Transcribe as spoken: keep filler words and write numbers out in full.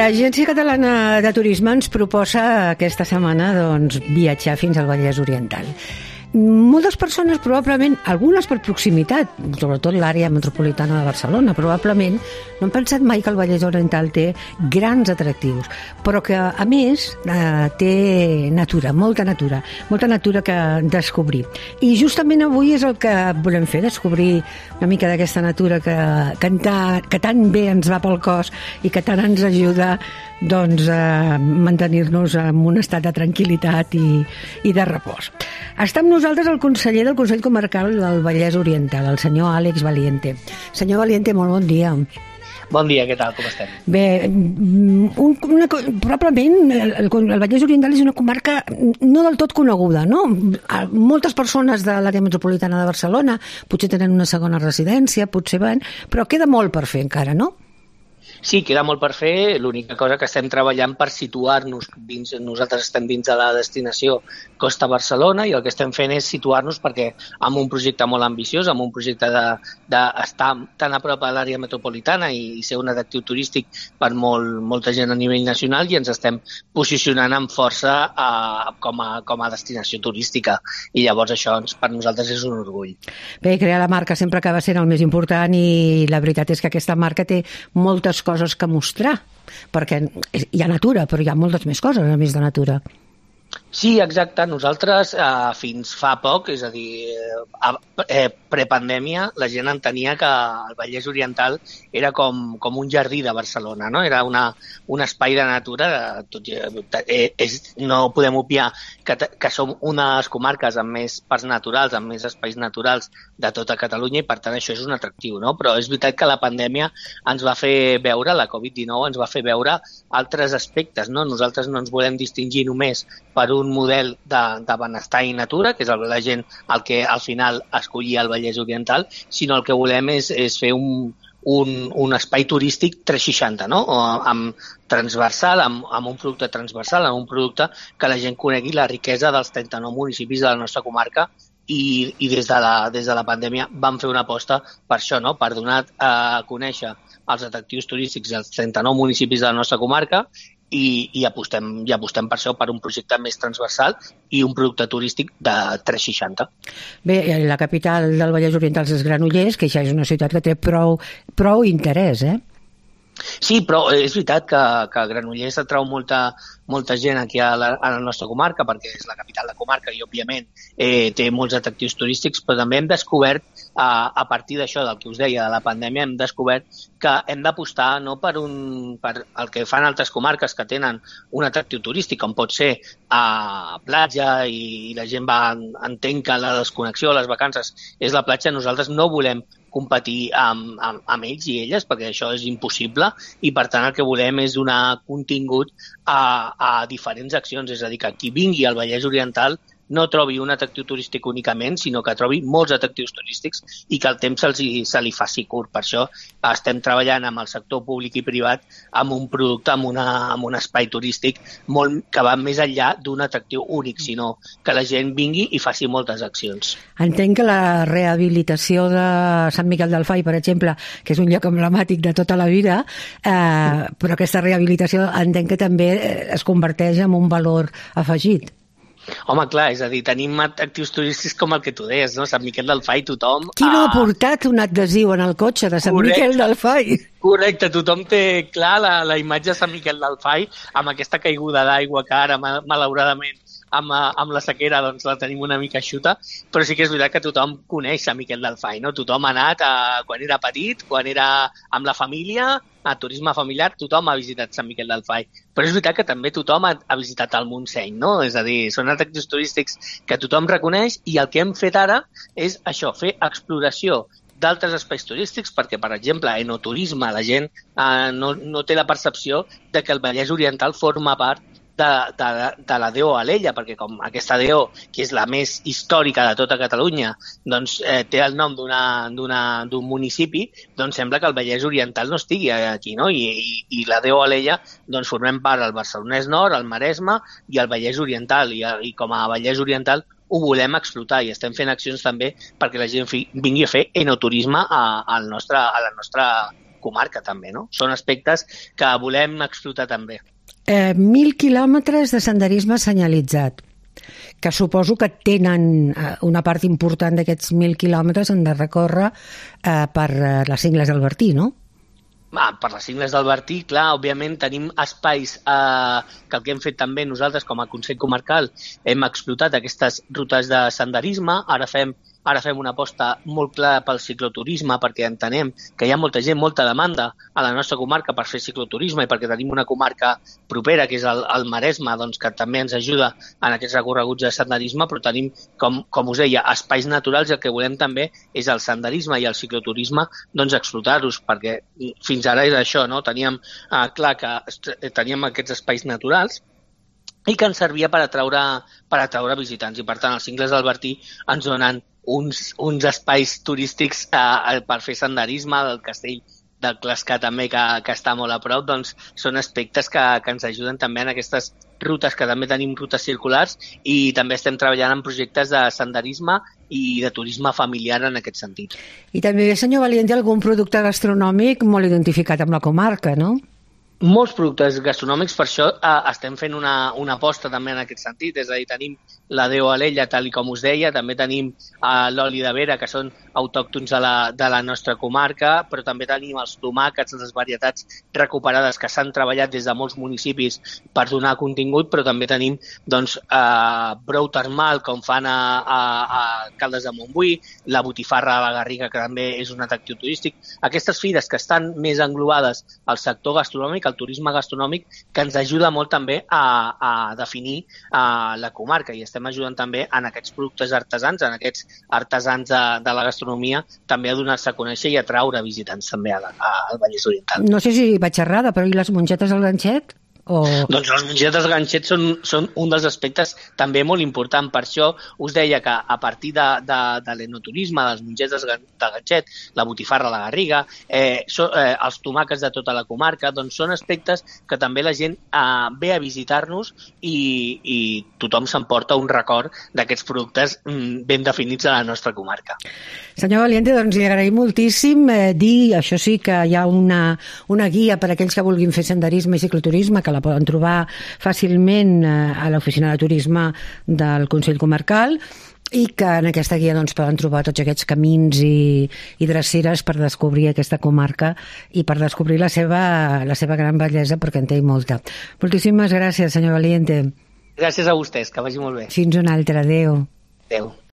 L'Agència Catalana de Turisme ens proposa aquesta setmana doncs, viatjar fins al Vallès Oriental. Moltes persones, probablement, algunes per proximitat, sobretot l'àrea metropolitana de Barcelona, probablement no han pensat mai que el Vallès Oriental té grans atractius, però que, a més, eh, té natura, molta natura, molta natura que descobrir. I justament avui és el que volem fer, descobrir una mica d'aquesta natura que, que, que tan bé ens va pel cos i que tant ens ajuda doncs, a mantenir-nos en un estat de tranquil·litat i, i de repòs. Està amb nosaltres el conseller del Consell Comarcal del Vallès Oriental, el senyor Àlex Valiente. Senyor Valiente, molt bon dia. Bon dia, què tal, com estem? Bé, un, una, probablement el, el Vallès Oriental és una comarca no del tot coneguda, no? Moltes persones de l'àrea metropolitana de Barcelona potser tenen una segona residència, potser van, però queda molt per fer encara, no? Sí, queda molt per fer. L'única cosa que estem treballant per situar-nos dins, nosaltres estem dins de la destinació Costa Barcelona i el que estem fent és situar-nos perquè amb un projecte molt ambiciós, amb un projecte d'estar de, de tan a prop a l'àrea metropolitana i, i ser un atractiu turístic per molt, molta gent a nivell nacional, i ens estem posicionant amb força a, com, a, com a destinació turística, i llavors això ens, per nosaltres és un orgull. Bé, crear la marca sempre acaba sent el més important, i la veritat és que aquesta marca té moltes coses que mostrar, perquè hi ha natura, però hi ha moltes més coses a més de natura. Sí, exacte. Nosaltres eh, fins fa poc, és a dir, eh, prepandèmia, la gent entenia que el Vallès Oriental era com, com un jardí de Barcelona, no? Era una, un espai de natura. Tot, eh, és, no podem obviar que, que som unes comarques amb més parcs naturals, amb més espais naturals de tota Catalunya, i per tant això és un atractiu, no? Però és veritat que la pandèmia ens va fer veure, la covid dinou ens va fer veure altres aspectes, no? Nosaltres no ens volem distingir només per un model de, de benestar i natura, que és el, la gent el que al final escollia el Vallès Oriental, sinó el que volem és, és fer un, un, un espai turístic tres seixanta, no? O amb transversal, amb, amb un producte transversal, amb un producte que la gent conegui la riquesa dels trenta-nou municipis de la nostra comarca, i, i des, de la, des de la pandèmia vam fer una aposta per això, no? Per donar a conèixer els atractius turístics dels trenta-nou municipis de la nostra comarca, i, i, apostem, i apostem per això, per un projecte més transversal i un producte turístic de tres seixanta. Bé, la capital del Vallès Oriental és Granollers, que ja és una ciutat que té prou, prou interès, eh? Sí, però és veritat que, que Granollers atrau molta, molta gent aquí a la, a la nostra comarca, perquè és la capital de comarca i, òbviament, eh, té molts atractius turístics, però també hem descobert, eh, a partir d'això, del que us deia, de la pandèmia, hem descobert que hem d'apostar no per, un, per el que fan altres comarques que tenen un atractiu turístic, com pot ser a platja, i, i la gent va, entén que la desconnexió, les vacances, és la platja. Nosaltres no volem competir amb, amb, amb ells i elles, perquè això és impossible, i per tant el que volem és donar contingut a, a diferents accions, és a dir, que qui vingui al Vallès Oriental no trobi un atractiu turístic únicament, sinó que trobi molts atractius turístics i que el temps se'ls, se li faci curt. Per això estem treballant amb el sector públic i privat amb un producte, amb, una, amb un espai turístic molt, que va més enllà d'un atractiu únic, sinó que la gent vingui i faci moltes accions. Entenc que la rehabilitació de Sant Miquel del Fai, per exemple, que és un lloc emblemàtic de tota la vida, eh, però aquesta rehabilitació entenc que també es converteix en un valor afegit. Home, clar, és a dir, tenim atractius turístics com el que tu deies, no? Sant Miquel del Fai, tothom... Qui no ha portat un adhesiu en el cotxe de Sant Correcte. Miquel del Fai? Correcte, tothom té clar la, la imatge de Sant Miquel del Fai amb aquesta caiguda d'aigua que ara, malauradament, amb, amb la sequera doncs la tenim una mica eixuta, però sí que és veritat que tothom coneix Sant Miquel del Fai, no? Tothom ha anat a, quan era petit, quan era amb la família, a turisme familiar, tothom ha visitat Sant Miquel del Fai. Però és veritat que també tothom ha, ha visitat el Montseny, no? És a dir, són atractius turístics que tothom reconeix, i el que hem fet ara és això, fer exploració d'altres espais turístics, perquè, per exemple, enoturisme, la gent eh, no, no té la percepció de que el Vallès Oriental forma part de, de, de la D O Alella, perquè com aquesta D O, que és la més històrica de tota Catalunya, doncs eh, té el nom d'un municipi, doncs sembla que el Vallès Oriental no estigui aquí, no? I, i, i la D O Alella, doncs formem part del Barcelonès Nord, el Maresme i el Vallès Oriental, i, i com a Vallès Oriental ho volem explotar, i estem fent accions també perquè la gent fi, vingui a fer enoturisme a, a, nostre, a la nostra comarca també, no? Són aspectes que volem explotar també. Eh, mil quilòmetres de senderisme senyalitzat, que suposo que tenen una part important d'aquests mil quilòmetres han de recórrer eh, per les Cingles del Bertí, no? Ah, per les Cingles del Bertí, clar, òbviament tenim espais eh, que el que hem fet també nosaltres com a Consell Comarcal hem explotat aquestes rutes de senderisme, ara fem Ara fem una aposta molt clara pel cicloturisme perquè entenem que hi ha molta gent, molta demanda a la nostra comarca per fer cicloturisme i perquè tenim una comarca propera, que és el, el Maresme, doncs, que també ens ajuda en aquests recorreguts de senderisme, però tenim, com, com us deia, espais naturals i el que volem també és el senderisme i el cicloturisme doncs, explotar-los, perquè fins ara és això, no? Teníem eh, clar que teníem aquests espais naturals i que ens servia per atraure, per atraure visitants. I, per tant, els Cingles del Bertí ens donen uns, uns espais turístics eh, per fer senderisme, del castell del Clascar també, que, que està molt a prop, doncs són aspectes que, que ens ajuden també en aquestes rutes, que també tenim rutes circulars, i també estem treballant en projectes de senderisme i de turisme familiar en aquest sentit. I també, senyor Valiente, algun producte gastronòmic molt identificat amb la comarca, no? Molts productes gastronòmics, per això eh, estem fent una, una aposta també en aquest sentit, és a dir, tenim la Déu Alella, tal i com us deia, també tenim eh, l'oli de vera, que són autòctons de la, de la nostra comarca, però també tenim els tomàquets, les varietats recuperades que s'han treballat des de molts municipis per donar contingut, però també tenim doncs, eh, brou termal, com fan a, a, a Caldes de Montbui, la botifarra a la Garriga, que també és un atractiu turístic. Aquestes fires que estan més englobades al sector gastronòmic, el turisme gastronòmic, que ens ajuda molt també a, a definir a la comarca, i estem ajudant també en aquests productes artesans, en aquests artesans de, de la gastronomia, també a donar-se a conèixer i a atraure visitants també a la, a, al Vallès Oriental. No sé si vaig errada, però i les mongetes al ganxet? O... Doncs les mongetes de ganxet són, són un dels aspectes també molt important. Per això us deia que a partir de, de, de l'enoturisme, de les mongetes de ganxet, la botifarra a la Garriga, eh, so, eh, els tomàquets de tota la comarca, doncs són aspectes que també la gent eh, ve a visitar-nos i, i tothom s'emporta un record d'aquests productes mm, ben definits a la nostra comarca. Senyor Valiente, doncs li agraïm moltíssim eh, dir, això sí, que hi ha una, una guia per a aquells que vulguin fer senderisme i cicloturisme, que la poden trobar fàcilment eh, a l'oficina de turisme del Consell Comarcal, i que en aquesta guia doncs, poden trobar tots aquests camins i, i dreceres per descobrir aquesta comarca i per descobrir la seva, la seva gran bellesa, perquè en té molta. Moltíssimes gràcies, senyor Valiente. Gràcies a vostès, que vagi molt bé. Fins una altra, adéu. Adéu.